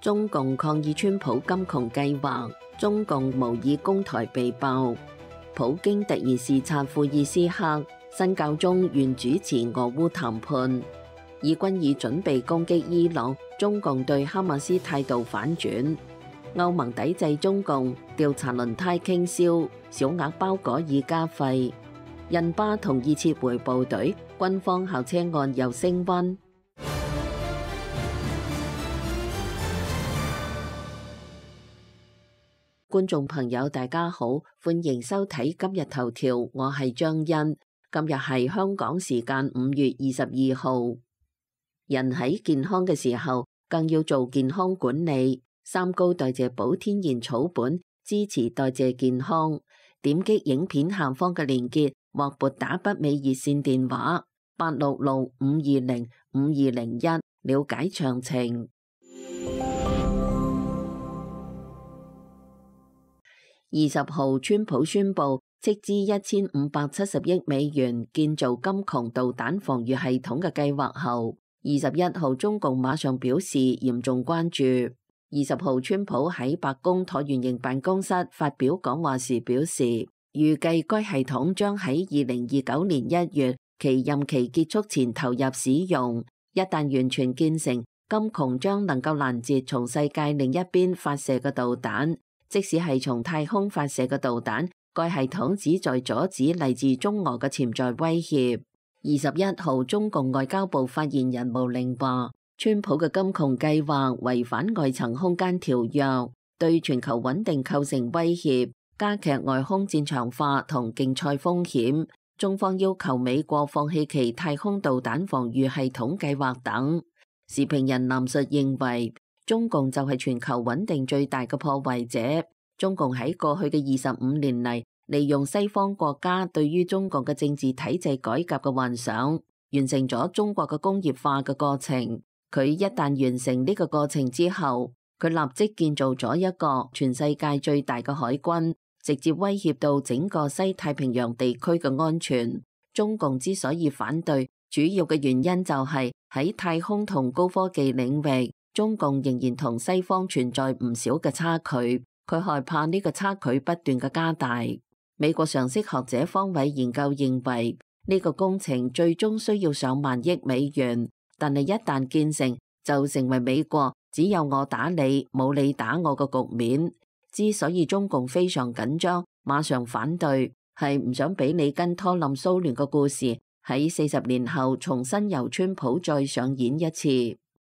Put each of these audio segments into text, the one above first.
中共抗議川普金窮計劃，中共模擬攻台被爆。普京突然視察庫爾斯克，新教宗願主持俄烏談判。以軍已準備攻擊伊朗，中共對哈馬斯態度反轉。歐盟抵制中共，調查輪胎傾銷，小額包裹已加費。印巴同意撤回部隊，軍方校車案又升溫。觀眾朋友大家好，歡迎收睇今日頭條，我係張欣。今日係香港時間5月22號。人喺健康嘅時候，更要做健康管理。三高代謝寶天然草本，支持代謝健康。點擊影片下方嘅連結，或撥打北美熱線電話866-520-5201，了解詳情。20號，川普宣布斥資1570億美元建造金窮導彈防禦系統嘅計劃後，21號中共馬上表示嚴重關注。20號，川普喺白宮橢圓形辦公室發表講話時表示，預計該系統將喺2029年1月其任期結束前投入使用。一旦完全建成，金窮將能夠攔截從世界另一邊發射嘅導彈。即使係從太空發射嘅導彈，該系統旨在阻止嚟自中俄嘅潛在威脅。21號，中共外交部發言人毛寧話，川普嘅金窮計劃違反外層空間條約，對全球穩定構成威脅，加劇外空戰場化同競賽風險。中方要求美國放棄其太空導彈防禦系統計劃等。時評人藍述認為，中共就係全球穩定最大嘅破壞者。中共喺過去嘅25年嚟，利用西方國家對於中國嘅政治體制改革嘅幻想，完成咗中國嘅工業化嘅過程。佢一旦完成呢個過程之後，佢立即建造咗一個全世界最大嘅海軍，直接威脅到整個西太平洋地區嘅安全。中共之所以反對，主要嘅原因就係喺太空同高科技領域，中共仍然同西方存在唔少嘅差距，佢害怕呢個差距不斷嘅加大。美國常識學者方偉研究認為，呢個工程最終需要上萬億美元，但係一旦建成，就成為美國只有我打你，冇你打我嘅局面。之所以中共非常緊張，馬上反對，係唔想俾里根拖冧蘇聯嘅故事喺40年後重新由川普再上演一次。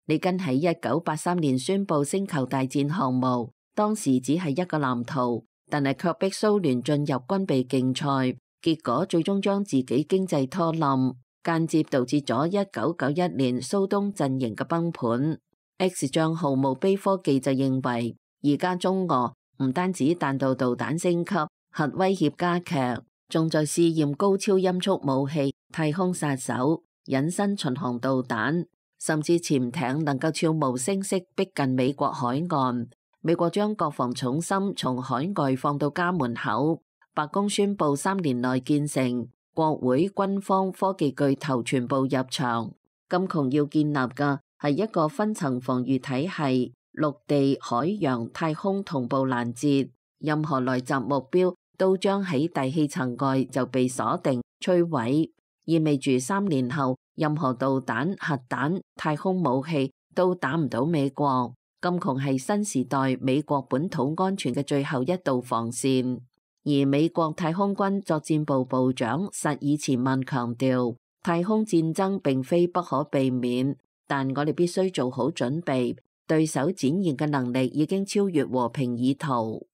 里根喺1983年宣布星球大戰項目，當時只係一個藍圖，但係卻逼蘇聯進入軍備競賽，結果最終將自己經濟拖冧，間接導致咗1991年蘇東陣營嘅崩盤。X 賬號墓碑科技就認為，而家中俄唔單止彈道導彈升級，核威脅加劇，仲在試驗高超音速武器、太空殺手、隱身巡航導彈。甚至潛艇能夠悄無聲息逼近美國海岸，美國將國防重心從海外放到家門口。白宮宣布3年內建成，國會、軍方、科技巨頭全部入場。金窮要建立嘅係一個分層防禦體系，陸地、海洋、太空同步攔截，任何來襲目標都將喺大氣層外就被鎖定、摧毀，意味住3年後，任何導彈、核彈、太空武器都打唔到美國。金窮係新時代美國本土安全嘅最後一道防線。而美國太空軍作戰部部長薩爾茨曼強調，太空戰爭並非不可避免，但我哋必須做好準備。對手展現嘅能力已經超越和平意圖。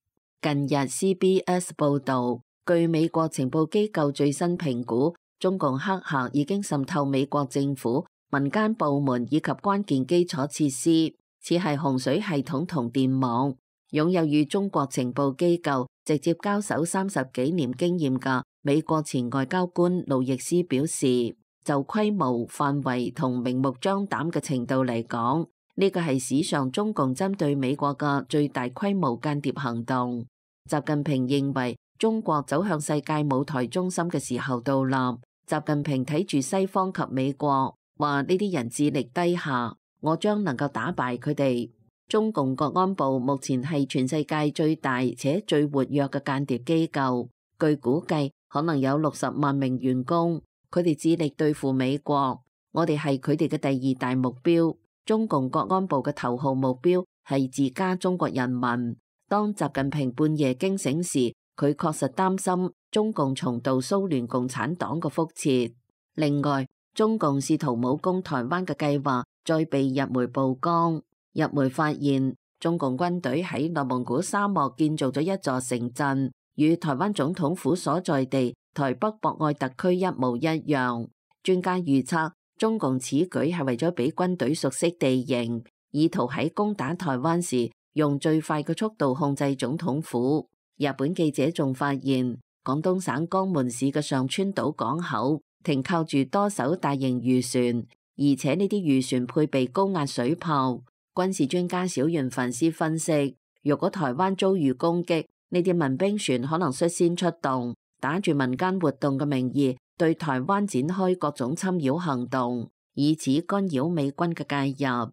近日 CBS 報道，據美國情報機構最新評估，中共黑客已經滲透美國政府、民間部門以及關鍵基礎設施，似係洪水系統同電網。擁有與中國情報機構直接交手30幾年經驗嘅美國前外交官路易斯表示，就規模、範圍同明目張膽嘅程度嚟講，呢個係史上中共針對美國嘅最大規模間諜行動。習近平認為，中國走向世界舞台中心嘅時候到臨。習近平睇住西方及美國，話呢啲人智力低下，我將能夠打敗佢哋。中共國安部目前係全世界最大且最活躍嘅間諜機構，據估計可能有60萬名員工，佢哋致力對付美國，我哋係佢哋嘅第2大目標。中共國安部嘅頭號目標係自家中國人民。當習近平半夜驚醒時，佢確實擔心中共重蹈蘇聯共產黨嘅覆轍。另外，中共試圖武攻台灣嘅計劃再被日媒曝光。日媒發現中共軍隊喺內蒙古沙漠建造咗一座城鎮，與台灣總統府所在地台北博愛特區一模一樣。專家預測，中共此舉係為咗俾軍隊熟悉地形，意圖喺攻打台灣時用最快嘅速度控制總統府。日本記者仲發現，廣東省江門市嘅上川島港口停靠住多艘大型漁船，而且呢啲漁船配備高壓水炮。軍事專家小原繁司分析，如果台灣遭遇攻擊，呢啲民兵船可能率先出動，打住民間活動嘅名義對台灣展開各種侵擾行動，以此干擾美軍嘅介入。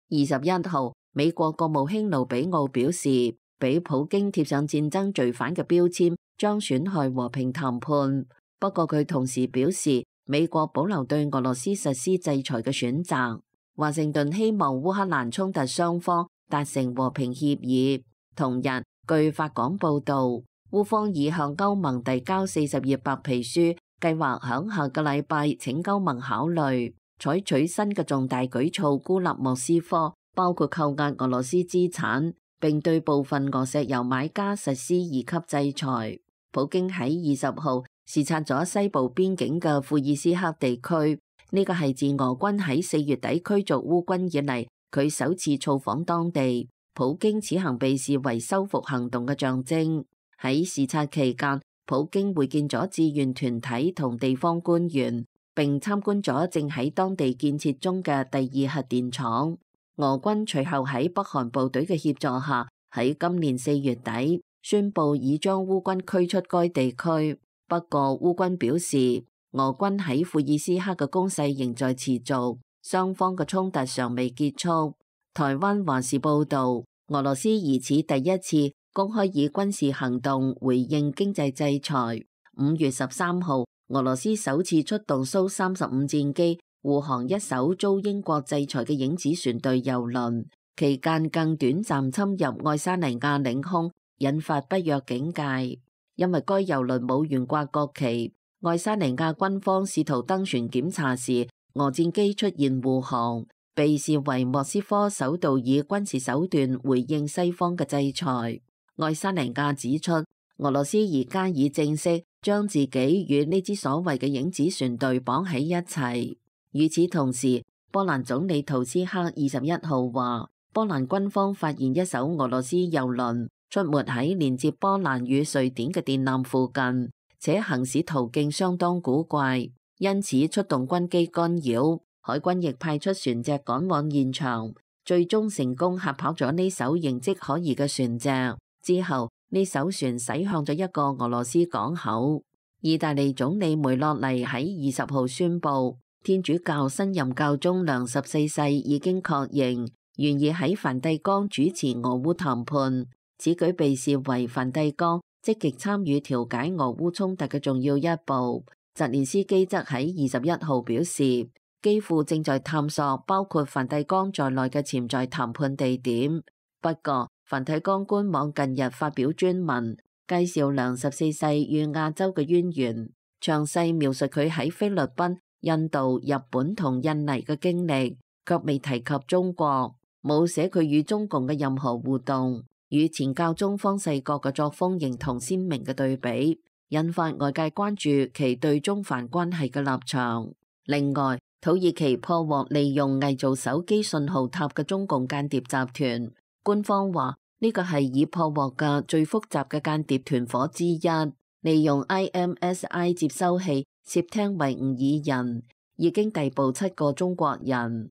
21號，美國國務卿盧比奧表示，俾普京貼上戰爭罪犯嘅標籤將損害和平談判。不過佢同時表示，美國保留對俄羅斯實施制裁嘅選擇。華盛頓希望烏克蘭衝突雙方達成和平協議。同日，據法廣報導，烏方已向歐盟遞交40頁白皮書，計劃響下個禮拜請歐盟考慮採取新嘅重大舉措孤立莫斯科，包括扣押俄羅斯資產，並對部分俄石油買家實施2級制裁。普京喺20號視察咗西部邊境嘅庫爾斯克地區，呢個係自俄軍喺4月底驅逐烏軍以嚟，佢首次造訪當地。普京此行被視為收復行動嘅象徵。喺視察期間，普京會見咗志願團體同地方官員，並參觀咗正喺當地建設中嘅第2核電廠。俄軍隨後喺北韓部隊嘅協助下，喺今年4月底宣布已將烏軍驅出該地區。不過烏軍表示，俄軍喺庫爾斯克嘅攻勢仍在持續，雙方嘅衝突尚未結束。台灣華視報導，俄羅斯疑似第一次公開以軍事行動回應經濟制裁。5月13號，俄羅斯首次出動蘇35戰機護航一艘遭英國制裁嘅影子船隊郵輪，期間更短暫侵入愛沙尼亞領空，引發北約警戒。因為該郵輪冇懸掛國旗，愛沙尼亞軍方試圖登船檢查時，俄戰機出現護航，被視為莫斯科首度以軍事手段回應西方嘅制裁。愛沙尼亞指出，俄羅斯而家已正式將自己與呢支所謂嘅影子船隊綁喺一齊。與此同時，波蘭總理圖斯克21號話，波蘭軍方發現一艘俄羅斯郵輪出沒喺連接波蘭與瑞典嘅電纜附近，且行駛途徑相當古怪，因此出動軍機干擾。海軍亦派出船隻趕往現場，最終成功嚇跑咗呢艘形跡可疑嘅船隻。之後，呢艘船駛向咗一個俄羅斯港口。意大利總理梅洛尼喺20號宣布，天主教新任教宗良14世已經確認願意喺梵蒂岡主持俄烏談判。此舉被視為梵蒂岡積極參與調解俄烏衝突嘅重要一步。澤連斯基則喺21號表示，基輔正在探索包括梵蒂岡在內嘅潛在談判地點。不過，梵蒂岡官網近日發表專文，介紹良14世與亞洲嘅淵源，詳細描述佢喺菲律賓、印度、日本同印尼嘅經歷，卻未提及中國，冇寫佢與中共嘅任何互動。與前教宗方濟各嘅作風形同鮮明嘅對比，引發外界關注其對中梵關係嘅立場。另外，土耳其破獲利用偽造手機信號塔嘅中共間諜集團，官方話呢個係已破獲嘅最複雜嘅間諜團夥之一，利用 IMSI 接收器竊聽維吾爾人，已經逮捕7個中國人。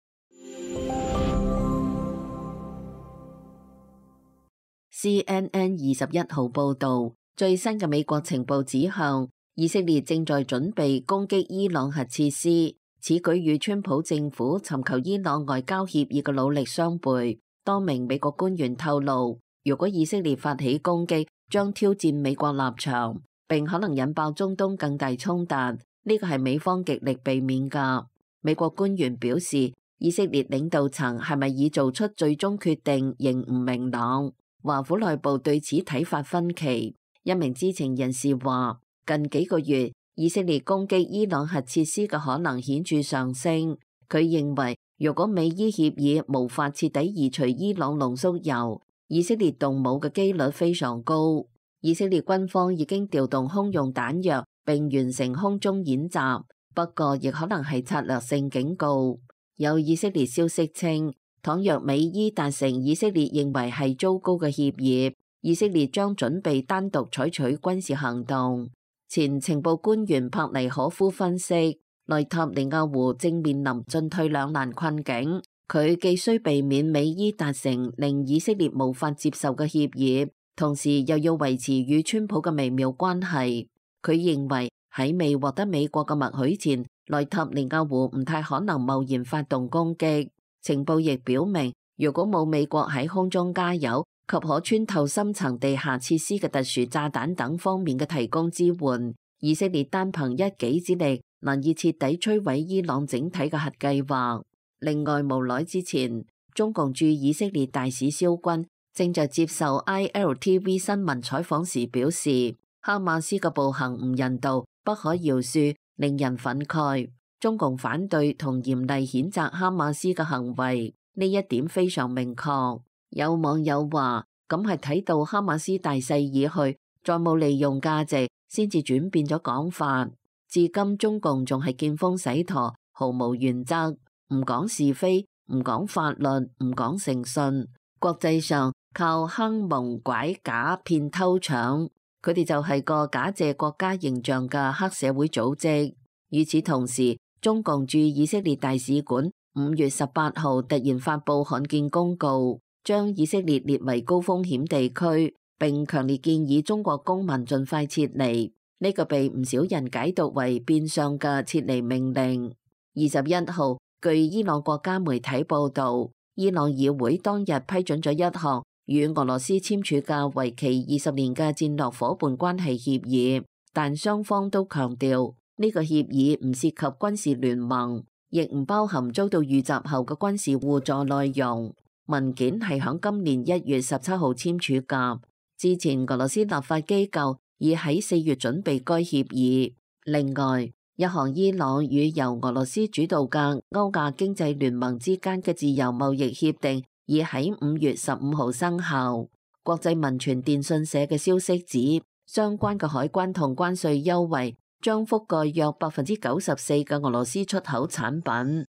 CNN 21號報導，最新嘅美國情報指向，以色列正在準備攻擊伊朗核設施。此舉與川普政府尋求伊朗外交協議嘅努力相悖。多名美國官員透露，如果以色列發起攻擊，將挑戰美國立場，並可能引爆中東更大衝突。呢個係美方極力避免㗎。美國官員表示，以色列領導層係咪已做出最終決定仍唔明朗。華府內部對此睇法分歧。一名知情人士話，近幾個月以色列攻擊伊朗核設施嘅可能顯著上升。佢認為，如果美伊協議無法徹底移除伊朗濃縮鈾，以色列動武嘅機率非常高。以色列軍方已經調動空用彈藥並完成空中演習，不過亦可能係策略性警告。有以色列消息稱，倘若美伊達成以色列認為係糟糕嘅協議，以色列將準備單獨採取軍事行動。前情報官員帕尼可夫分析，內塔尼亞胡正面臨進退兩難困境，佢既需避免美伊達成令以色列無法接受嘅協議，同時又要維持與川普嘅微妙關係。佢認為喺未獲得美國嘅默許前，內塔尼亞胡唔太可能貿然發動攻擊。情報亦表明，如果冇美國喺空中加油及可穿透深層地下設施嘅特殊炸彈等方面嘅提供支援，以色列單憑一己之力難以徹底摧毀伊朗整體嘅核計劃。另外，無耐之前，中共駐以色列大使蕭軍正在接受 ILTV 新聞採訪時表示，哈馬斯嘅暴行唔人道、不可饒恕，令人憤慨。中共反對同嚴厲譴責哈馬斯嘅行為，呢一點非常明確。有網友話，咁係睇到哈馬斯大勢已去，再冇利用價值，先至轉變咗講法。至今中共仲係見風使舵，毫無原則，唔講是非，唔講法律，唔講誠信。國際上靠坑蒙拐假騙偷搶，佢哋就係個假借國家形象嘅黑社會組織。與此同時，中共駐以色列大使館5月18號突然發布罕見公告，將以色列列為高風險地區，並強烈建議中國公民盡快撤離。呢個被唔少人解讀為變相嘅撤離命令。21號，據伊朗國家媒體報導，伊朗議會當日批准咗一項與俄羅斯簽署嘅為期20年嘅戰略夥伴關係協議，但雙方都強調，呢個協議唔涉及軍事聯盟，亦唔包含遭到遇襲後嘅軍事互助內容。文件係響今年1月17號簽署㗎。之前俄羅斯立法機構已喺4月準備該協議。另外，一項伊朗與由俄羅斯主導嘅歐亞經濟聯盟之間嘅自由貿易協定已喺5月15號生效。國際民傳電訊社嘅消息指，相關嘅海關同關稅優惠將覆蓋約94%嘅俄羅斯出口產品。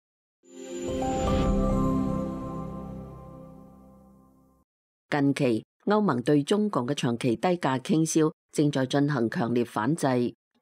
近期，歐盟對中共嘅長期低價傾銷正在進行強烈反制。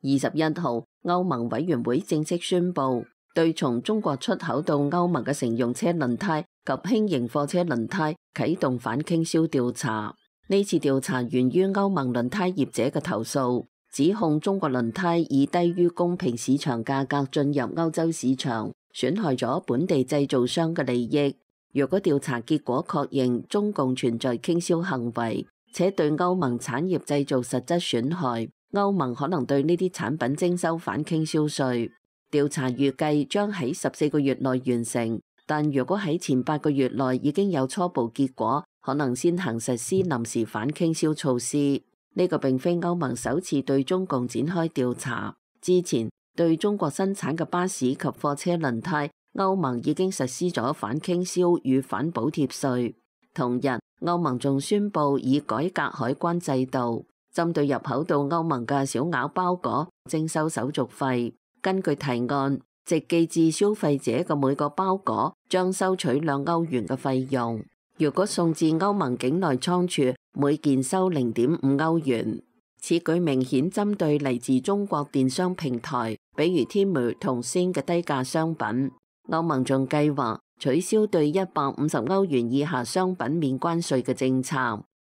21號，歐盟委員會正式宣布，對從中國出口到歐盟嘅乘用車輪胎及輕型貨車輪胎啟動反傾銷調查。呢次調查源於歐盟輪胎業者嘅投訴，指控中國輪胎以低於公平市場價格進入歐洲市場，損害咗本地製造商嘅利益。若果調查結果確認中共存在傾銷行為，且對歐盟產業製造實質損害，歐盟可能對呢啲產品徵收反傾銷稅。調查預計將喺14個月內完成，但如果喺前8個月內已經有初步結果，可能先行實施臨時反傾銷措施。呢個並非歐盟首次對中共展開調查，之前對中國生產嘅巴士及貨車輪胎，歐盟已經實施咗反傾銷與反補貼稅。同日，歐盟仲宣布以改革海關制度，針對入口到歐盟嘅小額包裹徵收手續費。根據提案，直寄至消費者嘅每個包裹將收取2歐元嘅費用。如果送至歐盟境內倉儲，每件收0.5歐元。此舉明顯針對嚟自中國電商平台，比如 Temu 同 Shein 嘅低價商品。歐盟仲計劃取消對150歐元以下商品免關稅嘅政策，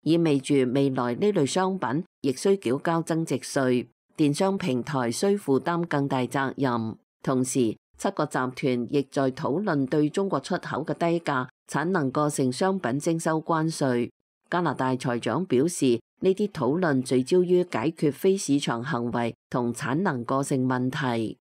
意味住未來呢類商品亦需繳交增值稅，電商平台需負擔更大責任。同時， 7個集團亦在討論對中國出口嘅低價產能過剩商品徵收關稅。加拿大財長表示，呢啲討論聚焦於解決非市場行為同產能過剩問題。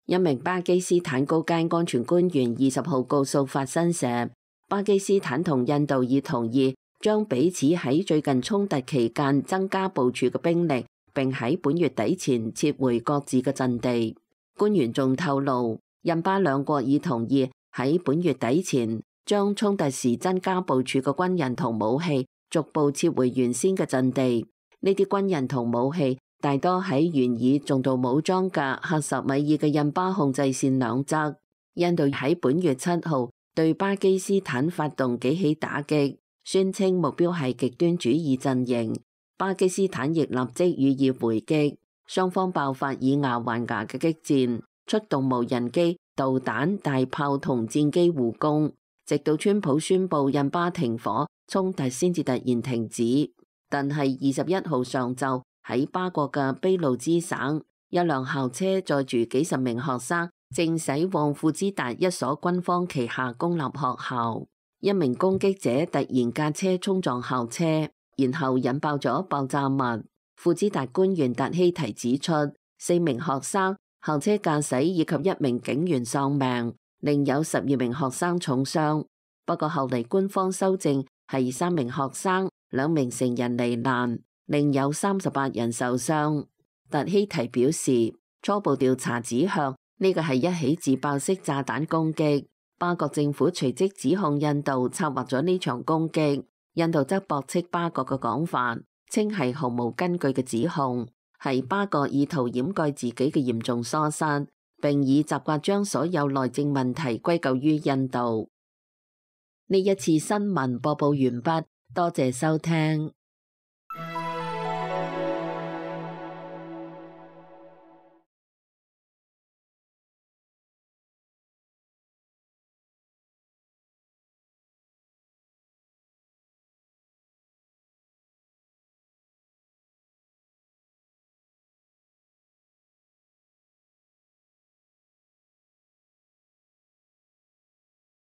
一名巴基斯坦高階安全官員20號告訴法新社，巴基斯坦同印度已同意將彼此喺最近衝突期間增加部署嘅兵力，並喺本月底前撤回各自嘅陣地。官員仲透露，印巴兩國已同意喺本月底前將衝突時增加部署嘅軍人同武器逐步撤回原先嘅陣地。呢啲軍人同武器大多喺原以重度武裝嘅喀什米爾嘅印巴控制線兩側。印度喺本月7號對巴基斯坦發動幾起打擊，宣稱目標係極端主義陣營。巴基斯坦亦立即予以回擊，雙方爆發以牙還牙嘅激戰，出動無人機、導彈、大炮同戰機互攻，直到川普宣布印巴停火，衝突先至突然停止。但係21號上晝喺巴國嘅俾路支省，一輛校車載住幾十名學生，正駛往庫茲達一所軍方旗下公立學校。一名攻擊者突然駕車衝撞校車，然後引爆咗爆炸物。庫茲達官員達希提指出，4名學生、校車駕駛以及1名警員喪命，另有12名學生重傷。不過後嚟官方修正係3名學生、2名成人罹難，另有38人受傷。達希提表示，初步調查指向呢個係一起自爆式炸彈攻擊。巴國政府隨即指控印度策劃咗呢場攻擊，印度則駁斥巴國嘅講法，稱係毫無根據嘅指控，係巴國意圖掩蓋自己嘅嚴重疏失，並以習慣將所有內政問題歸咎於印度。呢一次新聞播報完畢，多謝收聽。